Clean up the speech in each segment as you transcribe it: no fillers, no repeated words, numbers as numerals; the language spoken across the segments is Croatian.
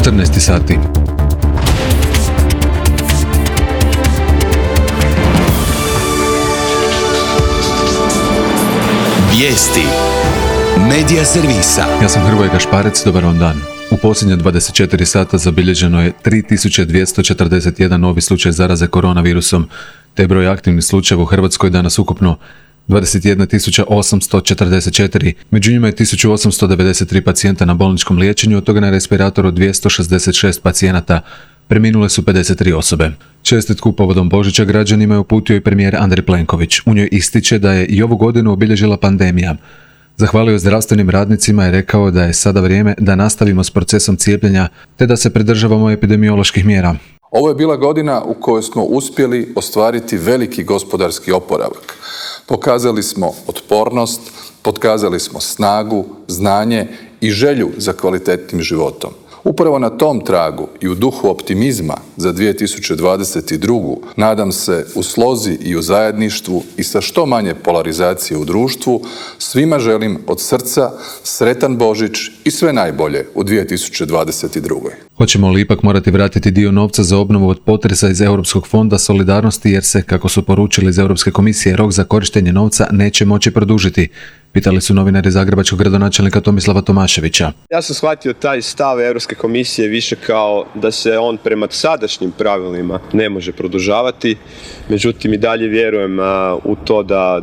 14 sati. Vijesti Medija servisa. Ja sam Hrvoje Gašparec, dobar vam dan. U posljednje 24 sata zabilježeno je 3241 novi slučaj zaraze koronavirusom, te broj aktivnih slučajeva u Hrvatskoj danas ukupno 21.844, među njima je 1893 pacijenta na bolničkom liječenju, od toga na respiratoru 266 pacijenata. Preminule su 53 osobe. Čestitku povodom Božića građanima je uputio i premijer Andrej Plenković. U njoj ističe da je i ovu godinu obilježila pandemija. Zahvalio zdravstvenim radnicima i rekao da je sada vrijeme da nastavimo s procesom cijepljenja te da se pridržavamo epidemioloških mjera. Ovo je bila godina u kojoj smo uspjeli ostvariti veliki gospodarski oporavak. Pokazali smo otpornost, pokazali smo snagu, znanje i želju za kvalitetnim životom. Upravo na tom tragu i u duhu optimizma za 2022. nadam se u slozi i u zajedništvu i sa što manje polarizacije u društvu, svima želim od srca sretan Božić i sve najbolje u 2022. Hoćemo li ipak morati vratiti dio novca za obnovu od potresa iz Europskog fonda solidarnosti jer se, kako su poručili iz Europske komisije, rok za korištenje novca neće moći produžiti? Pitali su novinari zagrebačkog gradonačelnika Tomislava Tomaševića. Ja sam shvatio taj stav Europske komisije više kao da se on prema sadašnjim pravilima ne može produžavati, međutim i dalje vjerujem u to da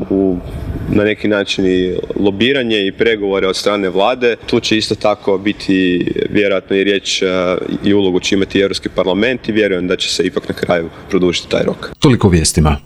na neki način i lobiranje i pregovore od strane vlade, tu će isto tako biti vjerojatno i riječ i ulogu će imati Europski parlament i vjerujem da će se ipak na kraju produžiti taj rok. Toliko vijestima.